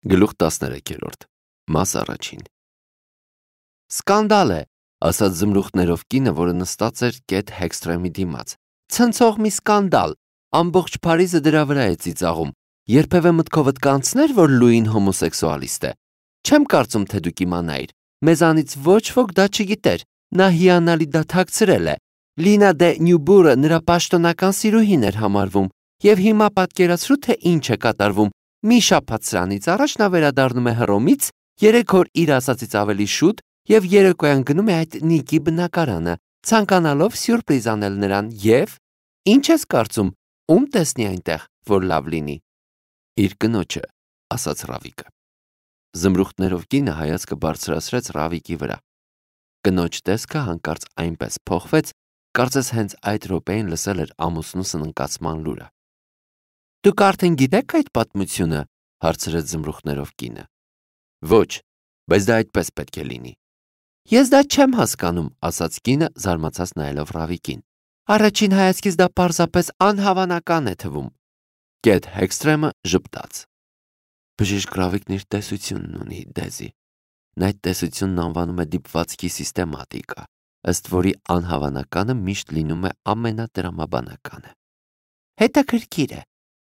Գլուխ 13 Մաս առաջին Սկանդալ է, ասաց զմրուխտներով կինը, որը նստած էր կետ Հեքսթրեմի դիմաց։ Ցնցող մի սկանդալ, ամբողջ Փարիզը դրա վրա է ծիծաղում։ Երբևէ մտքովդ կանցներ, որ Լուին հոմոսեքսուալիստ է։ Չեմ կարծում, թե դուք իմանայիր։ Մեզանից ոչ ոք դա չգիտեր։ Նա հիանալի դաթակցրել է։ Լինա դե Նյուբուրը նրա պաշտոնական սիրուհին էր համարվում, եւ հիմա պատկերացրու, թե ինչ է կատարվում։ Մի շաբաթ սրանից առաջ նա վերադառնում է Հռոմից, 3 օր իր ասածից ավելի շուտ, եւ երեկոյան գնում է այդ Նիկի բնակարանը, ցանկանալով սյուրպրիզ անել նրան, եւ ինչ ես կարծում, ում տեսնի այնտեղ, որ լավ լինի։ Իր կնոջը, ասաց Ռավիկը։ Զմրուխտներով կինը հայացքը բարձրացրեց Ռավիկի վրա։ Կնոջ տեսքը հանկարծ այնպես փոխվեց, կարծես հենց այդ րոպեին լսել էր ամուսնու սննկացման լուրը։ Դուք արդեն գիտեք այդ պատմությունը, հարցրեց զմրուխտներով կինը։ Ոչ, բայց դա այդպես պետք է լինի։ Ես դա չեմ հասկանում, ասաց կինը, զարմացած նայելով Ռավիկին։ Առաջին հայացքից դա պարզապես անհավանական է թվում։ Կետ Հեքսթրեմը ժպտաց։ Բժիշկ Ռավիկն իր տեսությունն ունի, Դեզի։ Նա այդ տեսությունն անվանում է դիպվածքի սիստեմատիկա, ըստ որի անհավանականը միշտ լինում է ամենատրամաբանականը։ Հետաքրքիր է։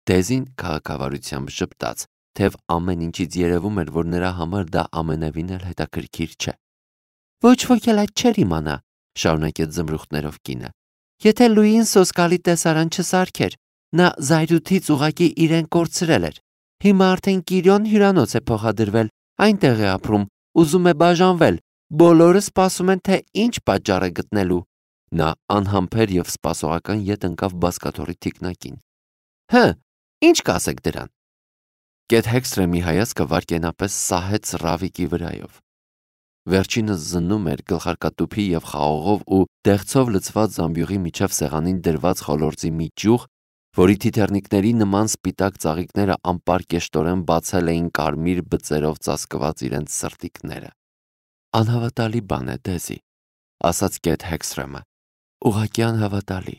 Դեզին քաղաքավարությամբ ժպտաց, թեև ամեն ինչից երևում էր, որ նրա համար դա ամենևին էլ հետաքրքիր չէ։ Ոչ ոք էլ այդ չէր իմանա, շարունակեց զմրուխտներով կինը։ Եթե Լուին սոսկալի տեսարան չսարքեր, նա զայրույթից ուղակի իրեն կորցրել էր։ Հիմա արդեն Կիրիոն հյուրանոց է փոխադրվել, այնտեղ է ապրում, ուզում է բաժանվել, բոլորը սպասում են, թե ինչ պատճառ է գտնելու։ Նա անհամբեր եւ սպասողական ետ ընկավ բազկաթոռի թիկնակին։ Հը, ինչ կասեք դրան։ Կետ Հեքսթրեմի հայացքը վայրկենապես սահեց Ռավիկի վրայով։ Վերջինս զննում էր գլխարկատուփի եւ խաղողով ու դեղցով լցված զամբյուղի միջև սեղանին դրված խոլորձի մի ճյուղ, որի թիթեռնիկների նման սպիտակ ծաղիկները անպարկեշտորեն բացել էին կարմիր բծերով ծածկված իրենց սրտիկները։ Անհավատալի բան է, Դեզի, ասաց Կետ Հեքսթրեմը։ Ուղղակի անհավատալի։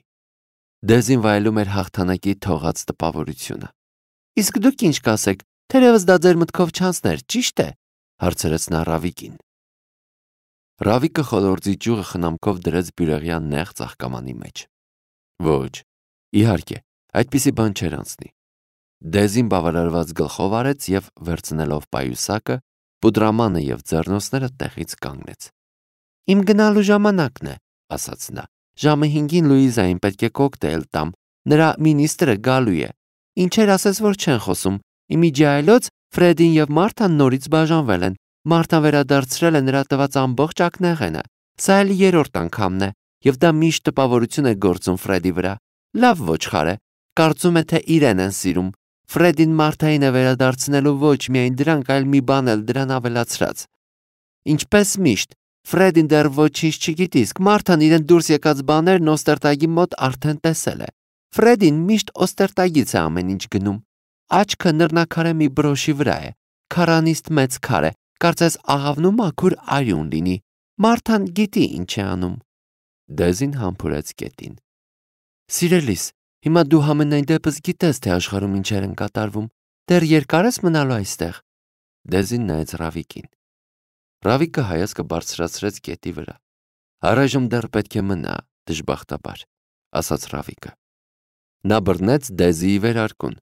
Դեզին վայելում էր հաղթանակի թողած տպավորությունը։ Իսկ դուք ինչ կասեք, թերևս դա ձեր մտքով չանցներ, ճիշտ է, հարցրեց նա Ռավիկին։ Ռավիկը խոլորձի ճյուղը խնամքով դրեց բյուրեղյան նեղ ծաղկամանի մեջ։ Ոչ, իհարկե, այդպիսի բան չէր անցնի։ Դեզին բավարարված գլխով արեց եւ վերցնելով պայուսակը, պուդրամանը եւ ձեռնոցները տեղից կանգնեց։ Իմ գնալու ժամանակն է, ասաց նա։ Ժամը 5-ին Լուիզային պետք է կոկտեյլ տամ։ Նրա մինիստրը գալու է։ Ինչեր ասես, որ չեն խոսում։ Իմիջիայլոց Ֆրեդին եւ Մարթան նորից բաժանվել են։ Մարթան վերադարձրել է նրա տված ամբողջ ակնեղենը։ Սա էլ 3-րդ անգամն է, եւ դա միշտ տպավորություն է գործում Ֆրեդի վրա։ Լավ ոչխար է, կարծում է, թե իրեն են սիրում։ Ֆրեդին Մարթային է վերադարձնելու ոչ միայն դրանք, այլ մի բան էլ դրան ավելացրած։ Ինչպես միշտ, Ֆրեդին դեռ ոչինչ չգիտի, իսկ Մարթան իրեն դուրս եկած բաներն Օստերտագի մոտ արդեն տեսել է։ Ֆրեդին միշտ Օստերտագից է ամեն ինչ գնում։ Աչքը նռնակարե մի բրոշի վրա է, քարանիստ մեծ քար է, կարծես աղավնու մաքուր արյուն լինի։ Մարթան գիտի ինչ է անում։ Դեզին համբուրեց կետին։ Սիրելիս, հիմա դու համենայն դեպս գիտես, թե աշխարհում ինչեր են կատարվում։ Դեռ երկար ես մնալու այստեղ։ Դեզին նայեց Ռավիկին։ Ռավիկը հայացքը բարձրացրեց կետի վրա։ Առայժմ դեռ պետք է մնա, դժբախտաբար, ասաց Ռավիկը։ Նա բռնեց Դեզիի վերարկուն։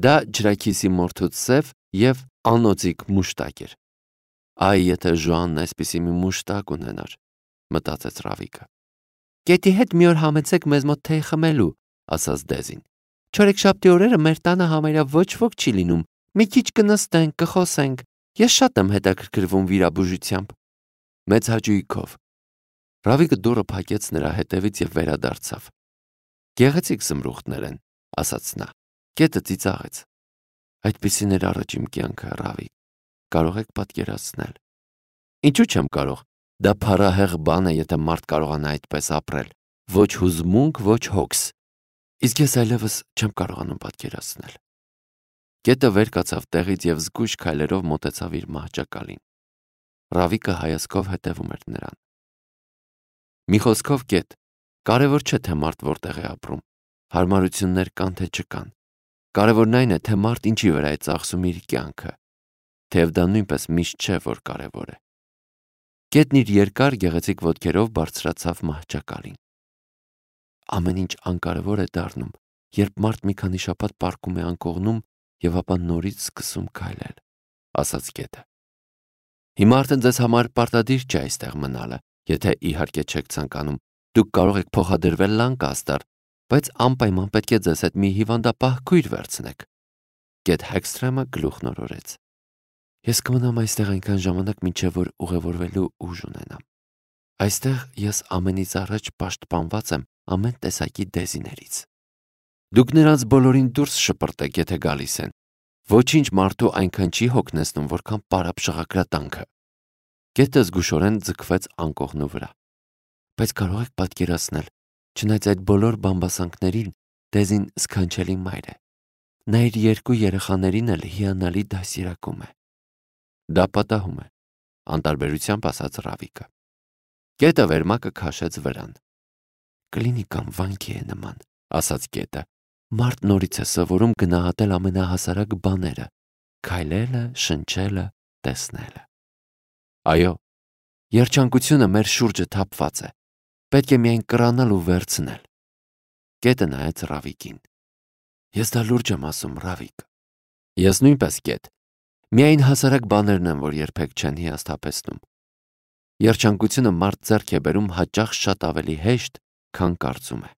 Դա ջրաքիսի մորթուց սև եւ անոծիկ մուշտակ էր։ Այ եթե Ժոանն այսպիսի մի մուշտակ ունենար, մտածեց Ռավիկը։ Կետի հետ մի օր համեցեք մեզ մոտ թեյ խմելու, ասաց Դեզին։ Չորեքշաբթի օրերը մեր տանը համարյա ոչ ոք չի լինում։ Մի քիչ կնստենք, կխոսենք։ Ես շատ եմ հետաքրքրվում վիրաբուժությամբ։ Մեծ հաճույքով։ Ռավիկը դուռը փակեց նրա հետևից եւ վերադարձավ։ Գեղեցիկ զմրուխտներ են, ասաց նա։ Կետը ծիծաղեց։ Այդպիսին էր առաջ իմ կյանքը, Ռավիկ։ Կարող եք պատկերացնել։ Ինչու չեմ կարող։ Դա փառահեղ բան է, եթե մարդ կարողանա այդպես ապրել։ Ոչ հուզմունք, ոչ հոգս։ Իսկ ես այլևս չեմ կարողանում պատկերացնել։ Կետը վեր կացավ տեղից եւ զգույշ քայլերով մոտեցավ իր մահճակալին։ Ռավիկը հայացքով հետևում էր նրան։ Մի խոսքով, Կետ, կարևոր չէ, թե մարդ որտեղ է ապրում։ Հարմարություններ կան, թե չկան։ Կարևորն այն է, թե մարդ ինչի վրա է ծախսում իր կյանքը։ թեև դա նույնպես միշտ չէ, որ կարևոր է։ Կետն իր երկար գեղեցիկ ոտքերով բարձրացավ մահճակալին։ Ամեն ինչ անկարևոր է դառնում, երբ մարդ մի քանի շաբաթ պառկում է անկողնում եւ ապա նորից սկսում քայլել, ասաց Կետը։ Հիմա արդեն ձեզ համար պարտադիր չէ այստեղ մնալը, եթե իհարկե չեք ցանկանում։ Դուք կարող եք փոխադրվել Լանկաստեր, բայց անպայման պետք է ձեզ հետ մի հիվանդապահ քույր վերցնեք։ Կետ Հեքսթրեմը գլուխն օրորեց։ Ես կմնամ այստեղ այնքան ժամանակ, մինչև որ ուղևորվելու ուժ ունենամ։ Այստեղ ես ամենից առաջ պաշտպանված եմ ամեն տեսակի դեզիներից։ Դուք նրանց բոլորին դուրս շպրտեք, եթե գալիս են։ Ոչինչ մարդու այնքան չի հոգնեցնում, որքան պարապ շղագրատանքը։ Կետը զգուշորեն ձգվեց անկողնու վրա։ Բայց կարող եք պատկերացնել, չնայած այդ բոլոր բամբասանքներին, դեզին սքանչելի մայր է։ Նա իր երկու երեխաներին էլ հիանալի դասիրակում է։ Դա պատահում է, անտարբերությամբ ասաց Ռավիկը։ Կետը վերմակը քաշեց վրան։ Կլինի կամ վանքի է նման, ասաց Կետը։ Մարդ նորից է սովորում գնահատել ամենահասարակ բաները՝ քայլելը, շնչելը, տեսնելը։ Այո, երջանկությունը մեր շուրջը թափված է։ Պետք է միայն կռանալ ու վերցնել։ Կետը նայեց Ռավիկին։ Ես դա լուրջ եմ ասում, Ռավիկ։ Ես նույնպես, Կետ։ Միայն հասարակ բաներն են, որ երբեք չեն հիասթափեցնում։ Երջանկությունը մարդ ձեռք է բերում հաճախ շատ ավելի հեշտ, քան կարծում է։